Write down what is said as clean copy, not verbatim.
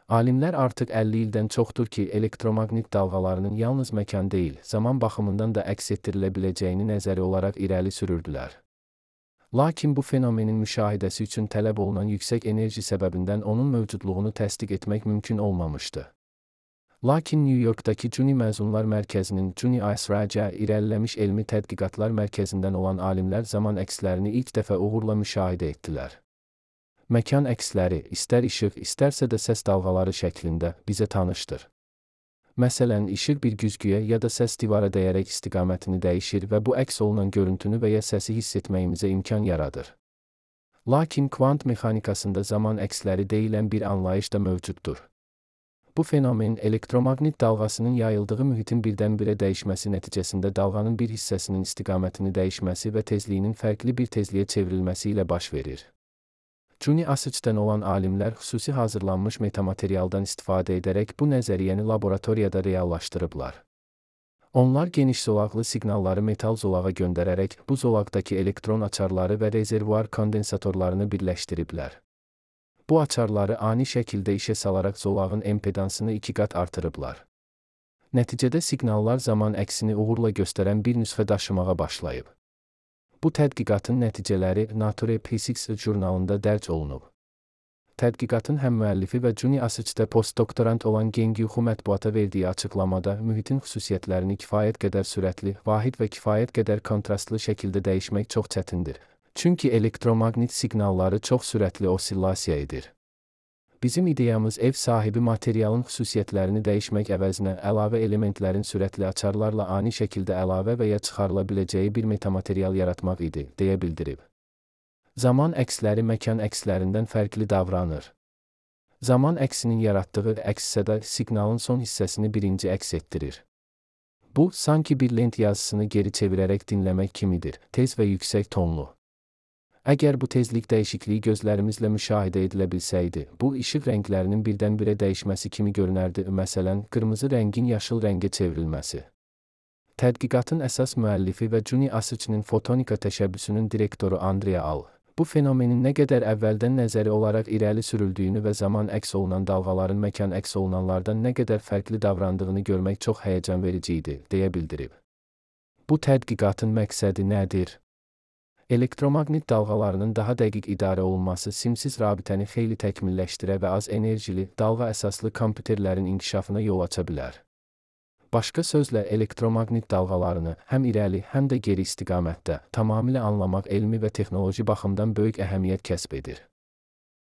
Alimlər artıq 50 ildən çoxdur ki, elektromaqnit dalğalarının yalnız məkan deyil, zaman baxımından da əks etdirilə biləcəyini nəzəri olaraq irəli sürürdülər. Lakin bu fenomenin müşahidəsi üçün tələb olunan yüksək enerji səbəbindən onun mövcudluğunu təsdiq etmək mümkün olmamışdı. Lakin New Yorkdakı Cuni Məzunlar Mərkəzinin Cuni ISRC irəliləmiş elmi tədqiqatlar mərkəzindən olan alimlər zaman əkslərini ilk dəfə uğurla müşahidə etdilər. Məkan əksləri, istər işıq, istərsə də səs dalğaları şəklində bizə tanışdır. Məsələn, işıq bir güzgüyə ya da səs divara dəyərək istiqamətini dəyişir və bu əks olunan görüntünü və ya səsi hiss etməyimizə imkan yaradır. Lakin kvant mexanikasında zaman əksləri deyilən bir anlayış da mövcuddur. Bu fenomen elektromaqnit dalğasının yayıldığı mühitin birdən-birə dəyişməsi nəticəsində dalğanın bir hissəsinin istiqamətini dəyişməsi və tezliyinin fərqli bir tezliyə çevrilməsi ilə baş verir. Cuni ISRC-dən olan alimlər xüsusi hazırlanmış metamaterialdan istifadə edərək bu nəzəriyyəni laboratoriyada reallaşdırıblar. Onlar geniş zolaqlı siqnalları metal zolağa göndərərək bu zolaqdakı elektron açarları və rezervuar kondensatorlarını birləşdiriblər. Bu açarları ani şəkildə işə salaraq zolağın impedansını 2 qat artırıblar. Nəticədə siqnallar zaman əksini uğurla göstərən bir nüsxə daşımağa başlayıb. Bu tədqiqatın nəticələri Nature Physics jurnalında dərc olunub. Tədqiqatın həm müəllifi və Cuni ISRC-də postdoktorant olan Gengyuxu mətbuata verdiyi açıqlamada mühitin xüsusiyyətlərini kifayət qədər sürətli, vahid və kifayət qədər kontrastlı şəkildə dəyişmək çox çətindir. Çünki elektromaqnit siqnalları çox sürətli osillasiya edir. Bizim ideyamız ev sahibi materialın xüsusiyyətlərini dəyişmək əvəzinə əlavə elementlərin sürətli açarlarla ani şəkildə əlavə və ya çıxarıla biləcəyi bir metamaterial yaratmaq idi, deyə bildirib. Zaman əksləri məkan əkslərindən fərqli davranır. Zaman əksinin yaratdığı əks-səda siqnalın son hissəsini birinci əks etdirir. Bu, sanki bir lent yazısını geri çevirərək dinləmək kimidir, tez və yüksək tonlu. Əgər bu tezlik dəyişikliyi gözlərimizlə müşahidə edilə bilsəydi, bu işıq rənglərinin birdən-birə dəyişməsi kimi görünərdi, məsələn, qırmızı rəngin yaşıl rəngə çevrilməsi. Tədqiqatın əsas müəllifi və Cuni ISRC-nin fotonika təşəbbüsünün direktoru Andrea Al, bu fenomenin nə qədər əvvəldən nəzəri olaraq irəli sürüldüyünü və zaman əks olunan dalğaların məkan əks olunanlardan nə qədər fərqli davrandığını görmək çox həyəcan verici idi, deyə bildirib. Bu tədqiqatın məqsədi nədir? Elektromaqnit dalğalarının daha dəqiq idarə olunması simsiz rabitəni xeyli təkmilləşdirə və az enerjili, dalğa əsaslı kompüterlərin inkişafına yol aça bilər. Başqa sözlə, elektromaqnit dalğalarını həm irəli, həm də geri istiqamətdə tamamilə anlamaq elmi və texnoloji baxımdan böyük əhəmiyyət kəsb edir.